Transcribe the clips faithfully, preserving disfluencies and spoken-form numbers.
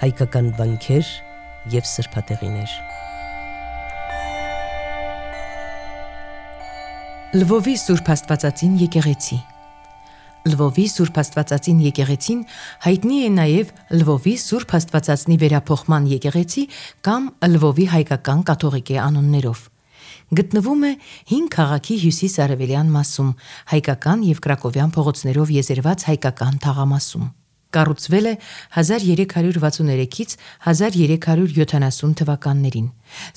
հայկական վանքեր և սրբատեղիներ։ Լվովի Սուրբ Աստվածածին եկեղեցի։ Լվովի Սուրբ Աստվածածին եկեղեցին հայտնի է նաև Լվովի Սուրբ Աստվածածնի վերափոխման եկեղեցի կամ Լվովի հայկական կաթողիկե անուններով։ Գտնվում է հին քաղաքի հյուսիս-արևելյան մասում, հայկական և կրակովյան փողոցներով եզերված հայկական թաղամասում։ Կառուցվել է հազար երեք հարյուր վաթսուներեքից հազար երեք հարյուր յոթանասուն թվականներին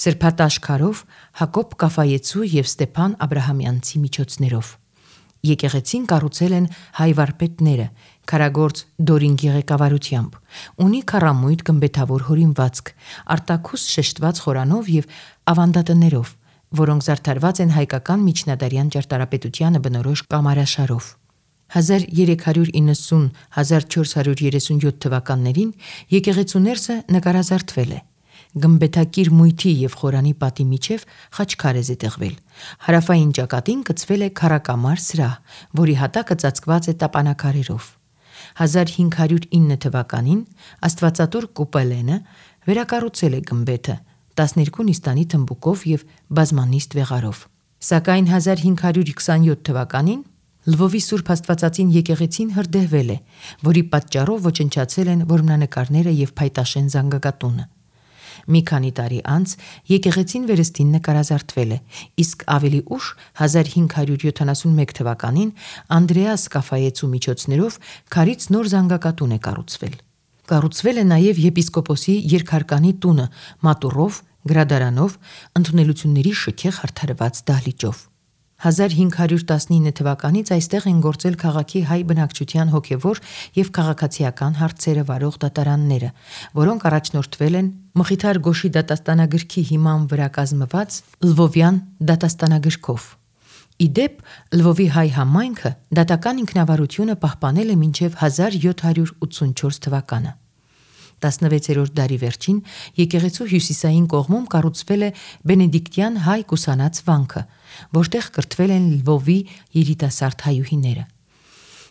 սրբատաշ քարով Հակոբ Կաֆայեցու և Ստեփան Աբրահամյանցի միջոցներով։ Եկեղեցին կառուցել են հայ վարպետները, քարագործ Դորինգի ղեկավարությամբ, ունի քառամույթ գմբեթավոր հորինվածք, արտաքուստ շեշտված խորանով և ավանդատներով, որոնք զարդարված են հայկական միջնադարյան ճարտարապետությանը բնորոշ կամարաշարով։ հազար երեք հարյուր իննսուն - հազար չորս հարյուր երեսունյոթ թվականներին եկեղեցու ներսը նկարազարդվել է։ Գմբեթակիր մույթի և խորանի պատի միջև խաչքար է զետեղվել։ Հարավային ճակատին կցվել է քառակամար սրահ, որի հատակը ծածկված է տապանաքարերով։ հազար հինգ հարյուր ինը թվականին Աստվածատուր Կուպելենը վերակառուցել է գմբեթը տասներկու նիստանի թմբուկով և բազմանիստ վեղարով։ Սակայն հազար հինգ հարյուր քսանյոթ թվականին Լվովի Սուրբ Աստվածածին եկեղեցին հրդեհվել է, որի պատճառով ոչնչացել են որմնանկարները և փայտաշեն զանգակատունը։ Մի քանի տարի անց եկեղեցին վերստին նկարազարդվել է, իսկ ավելի ուշ հազար հինգ հարյուր յոթանասունմեկ թվականին Անդրեաս Կաֆայեցու միջոցներով քարից նոր զանգակատուն է կառուցվել։ Կառուցվել է նաև եպիսկոպոսի երկհարկանի տունը մատուռով, գրադարանով, ընդունելությունների շքեղ հարդարված դահլիճով։ հազար հինգ հարյուր տասնինը թվականից այստեղ են գործել քաղաքի հայ բնակչության հոգևոր և քաղաքացիական հարցերը վարող դատարանները, որոնք առաջնորդվել են Մխիթար Գոշի դատաստանագրքի հիման վրա կազմված Լվովյան դատաստանագրքով։ Ի դեպ, Լվովի հայ համայնքը դատական ինքնավարությունը պահպանել է մինչև հազար յոթ հարյուր ութսունչորս թվականը։ տասնվեցերորդ դարի վերջին եկեղեցու հյուսիսային կողմում կառուցվել է բենեդիկտյան հայ կուսանած վանքը, որտեղ կրթվել են Լվովի երիտասարդ հայուհիները։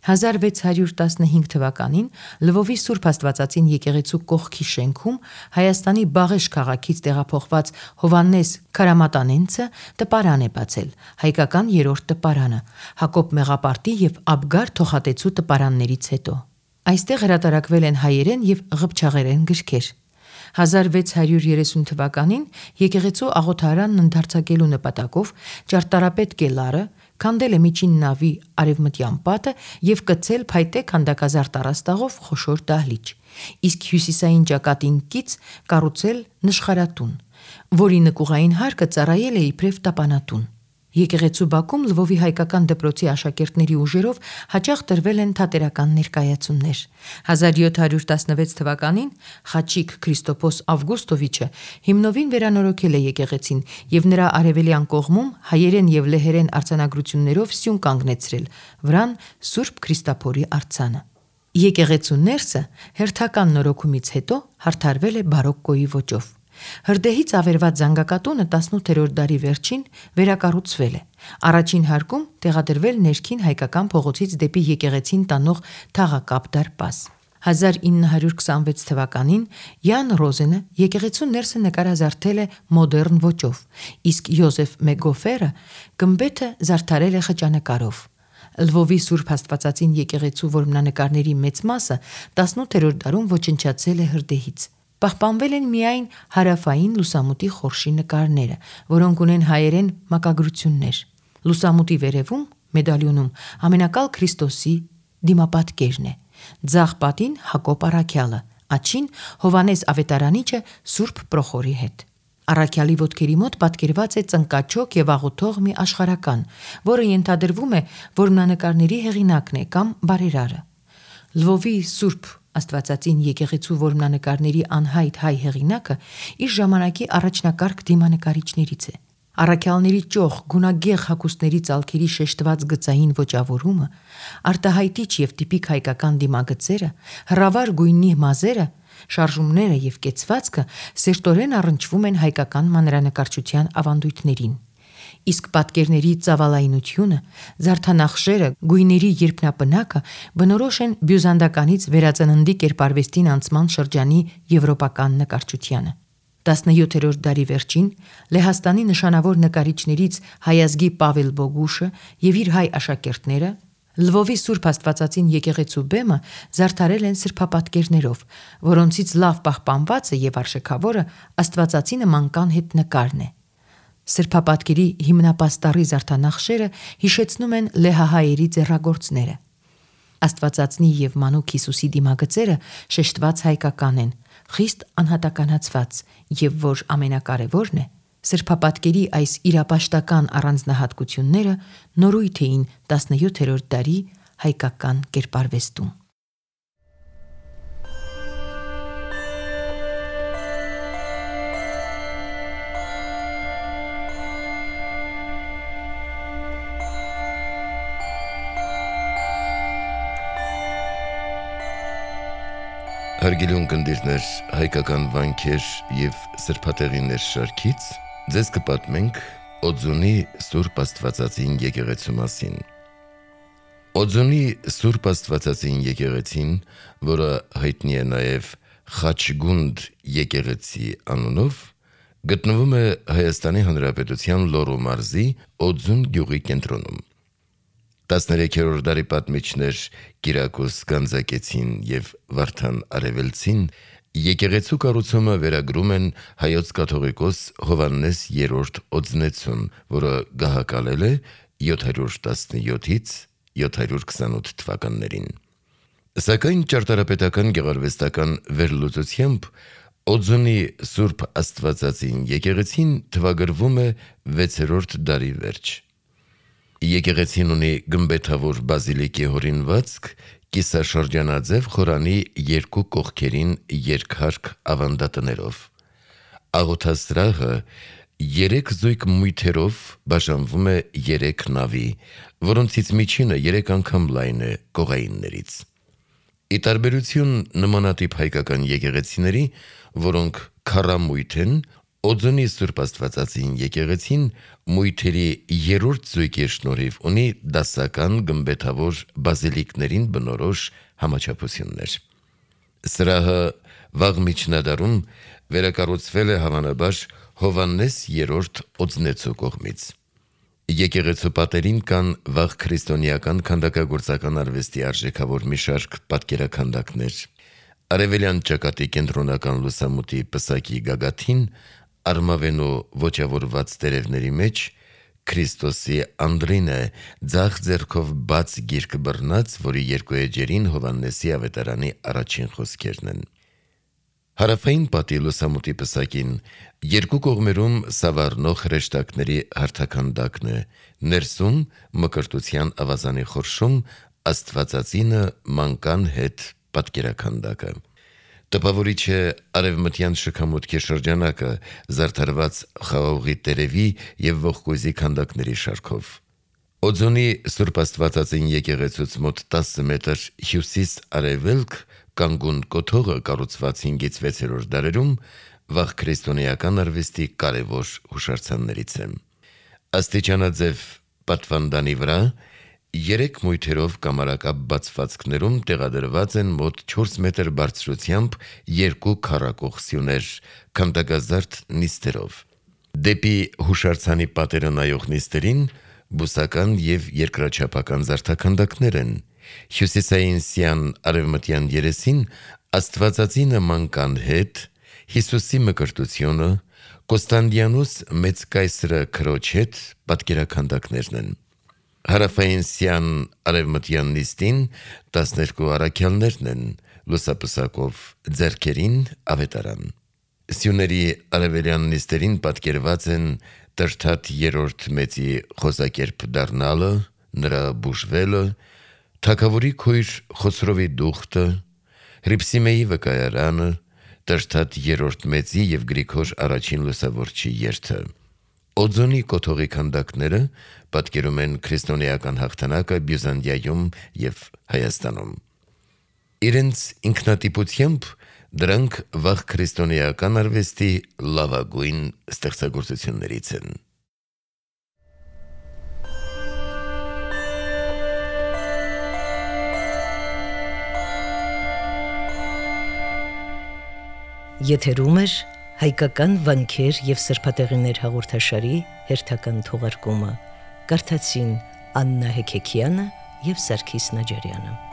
հազար վեց հարյուր տասնհինգ թվականին Լվովի Սուրբ Աստվածածին եկեղեցու կողքի շենքում Հայաստանի Բաղեշ քաղաքից տեղափոխված Հովհաննես Քարամատանենցը տպարան է բացել, հայկական երրորդ տպարանը, Հակոբ Մեղապարտի և Աբգար Թոխատեցու տպարաններից հետո։ Այստեղ հրատարակվել են հայերեն և ղփչաղերեն գրքեր։ հազար վեց հարյուր երեսուն թվականին եկեղեցու աղոթարանն ընդարձակելու նպատակով ճարտարապետ Կելարը քանդել է միջին նավի արևմտյան պատը և կցել փայտե քանդակազարդ առաստաղով խոշոր դահլիճ, իսկ հյուսիսային ճակատին կից կառուցել նշխարատուն, որի նկուղային հարկը ծառայել է իբրև տապանատուն։ Եկեղեցու բակում Լվովի հայկական դպրոցի աշակերտների ուժերով հաճախ տրվել են թատերական ներկայացումներ։ հազար յոթ հարյուր տասնվեց թվականին Խաչիկ Քրիստոփոս Ավգուստովիչը հիմնովին վերանորոգել է եկեղեցին և նրա արևելյան կողմում հայերեն և լեհերեն արձանագրություններով սյուն կանգնեցրել վրան Սուրբ Քրիստափորի արձանը։ Եկեղեցու ներսը հերթական նորոգումից հետո հարդարվել է բարոկկոյի ոճով։ Հրդեհից ավերված զանգակատունը տասնութերորդ դարի վերջին վերակառուցվել է։ Առաջին հարկում տեղադրվել ներքին հայկական փողոցից դեպի եկեղեցին տանող թաղակապ դարպաս։ հազար ինը հարյուր քսանվեց թվականին Յան Ռոզենը եկեղեցու ներսը նկարազարդել է մոդեռն ոճով, իսկ Յոզեֆ Մեգոֆերը գմբեթը զարդարել է խճանկարով։ Լվովի Սուրբ Աստվածածին եկեղեցու որմնանկարների մեծ մասը տասնութերորդ դարում ոչնչացել է հրդեհից։ Պահպանվել են միայն հարավային լուսամուտի խորշի նկարները, որոնք ունեն հայերեն մակագրություններ։ Լուսամուտի վերևում մեդալյոնում ամենակալ Քրիստոսի դիմապատկերն է, ձախ պատին Հակոբ առաքյալը, աջին Հովհաննես Ավետարանիչը Սուրբ Պրոխորի հետ։ Առաքյալի ոտքերի մոտ պատկերված է ծնկաչոք և աղոթող մի աշխարհական, որը ենթադրվում է որմնանկարների հեղինակն է կամ բարերարը։ Լվովի Սուրբ Աստվածածին եկեղեցու որմնանկարների անհայտ հայ հեղինակը իր ժամանակի առաջնակարգ դիմանկարիչներից է։ Առաքյալների ճոխ, գունագեղ հագուստների ծալքերի շեշտված գծային ոճավորումը, արտահայտիչ և տիպիկ հայկական դիմագծերը, հրավառ գույնի մազերը, շարժումները և կեցվածքը սերտորեն առնչվում են հայկական մանրանկարչության ավանդույթներին։ իսկ պատկերների ծավալայնությունը, զարդանախշերը, գույների երփնապնակը բնորոշ են բյուզանդականից վերածննդի կերպարվեստին անցման շրջանի եվրոպական նկարչությանը։ տասնյոթերորդ դարի վերջին Լեհաստանի նշանավոր նկարիչներից հայազգի Պավել Բոգուշը եւ իր հայ աշակերտները Լվովի Սուրբ Աստվածածին եկեղեցու բեմը զարդարել են սրբապատկերներով, որոնցից լավ պահպանվածը եւ արժեքավորը Աստվածածինը մանկան հետ նկարն է։ Սրբապատկերի հիմնապաստառի զարդանախշերը հիշեցնում են լեհահայերի ձեռագործները։ Աստվածածնի եւ մանուկ Հիսուսի դիմագծերը շեշտված հայկական են, խիստ անհատականացված եւ որ ամենակարևորն է, սրբապատկերի այս իրապաշտական առանձնահատկությունները նորույթ էին տասնյոթերորդ դարի հայկական կերպարվեստում։ Հարգելի ունկնդիրներ, հայկական վանքեր եւ սրբատեղիներ շարքից ձեզ կպատմենք Օձունի Սուրբ Աստվածածին եկեղեցու մասին։ Օձունի Սուրբ Աստվածածին եկեղեցին, որը հայտնի է նաեւ Խաչգունդ եկեղեցի անունով, գտնվում է Հայաստանի Հանրապետության Լոռու մարզի Օձուն գյուղի կենտրոնում։ տասներեքերորդ դարի պատմիչներ Կիրակոս Գանձակեցին եւ Վարդան Արևելցին եկեղեցու կառուցումը վերագրում են հայոց կաթողիկոս Հովհաննես երրորդ Օձնեցուն, որը գահակալել է յոթ հարյուր տասնյոթից յոթ հարյուր քսանութ թվականներին։ Սակայն ճարտարապետական գեղարվեստական վերլուծությամբ Օձունի Սուրբ Աստվածածին եկեղեցին թվագրվում է վեցերորդ դարի վերջ։ Եկեղեցին ունի գմբեթավոր բազիլիկի հորինվածք, կիսաշրջանաձև խորանի երկու կողքերին երկհարկ ավանդատներով։ Աղոթասրահը երեք զույգ մույթերով բաժանվում է երեք նավի, որոնցից միջինը երեք անգամ լայն է կողայիններից։ Ի տարբերություն նմանատիպ հայկական եկեղեցիների, որոնք քառամույթ են, Օձունի Սուրբ Աստվածածին եկեղեցին մույթերի երրորդ զույգի շնորհիվ ունի դասական գմբեթավոր բազիլիկներին բնորոշ համաչափություններ։ Սրահը վաղ միջնադարում վերակառուցվել է հավանաբար Հովհաննես երրորդ Օձնեցու կողմից։ Եկեղեցու պատերին կան վաղ քրիստոնեական քանդակագործական արվեստի արժեքավոր մի շարք պատկերաքանդակներ։ Արևելյան ճակատի կենտրոնական լուսամուտի պսակի գագաթին արմավենու ոչավորված տերևների մեջ Քրիստոսի անդրին է ձախ ձեռքով բաց գիրք բռնած, որի երկու էջերին Հովհաննեսի ավետարանի առաջին խոսքերն են։ Հարավային պատի լուսամուտի պսակին երկու կողմերում սավառնող հրեշտակների հարթաքանդակն է, ներսում մկրտության ավազանի խորշում Աստվածածինը մանկան հետ պատկերաքանդակը։ Տպավորիչ է արևմտյան շքամուտքի շրջանակը զարդարված խաղողի տերևի եւ ողկույզի քանդակների շարքով։ Օձունի Սուրբ Աստվածածին եկեղեցուց մոտ տասը մետր հյուսիս-արևելք կանգուն կոթողը կառուցված հինգից վեցերորդ դարերում վաղ քրիստոնեական արվեստի կարևոր հուշարձաններից է։ Աստիճանաձև պատվանդանի վրա երեք մույթերով կամարակապ բացվածքներում տեղադրված են մոտ չորս մետր բարձրությամբ երկու քառակող սյուներ, քանդակազարդ նիստերով։ Դեպի հուշարձանի պատերը նայող նիստերին բուսական եւ երկրաչափական զարդաքանդակներ են։ Հյուսիսային սյան արևմտյան երեսին Աստվածածինը մանկան հետ, Հիսուսի մկրտությունը, Կոստանդիանոս մեծ կայսրը քրոջ հետ պատկերաքանդակներն են։ Հարավային սյան արևմտյան նիստին տասներկու առաքյալներն են, լուսապսակով ձեռքերին ավետարան։ Սյուների արևելյան նիստերին պատկերված են Տրթատ երրորդ մեծի խոսակերպ դառնալը, նրա բուժվելը, թագավորի քույր Խոսրովի դուխտը, Հրիփսիմեի վկայարանը, Տրթատ երրորդ մեծի եւ Գրիգոր առաջին լուսավորչի երթը։ Օձունի կոթողի քանդակները պատկերում են քրիստոնեական հաղթանակը Բյուզանդիայում եւ Հայաստանում։ Իրենց ինքնատիպությամբ դրանք վաղ քրիստոնեական արվեստի լավագույն ստեղծագործություններից են։ Եթերում է հայկական վանքեր եւ սրբատեղիներ հաղորդաշարի հերթական թողարկումը։ Կարդացին Աննա Հեքեքյանը եւ Սարգիս Նաջարյանը։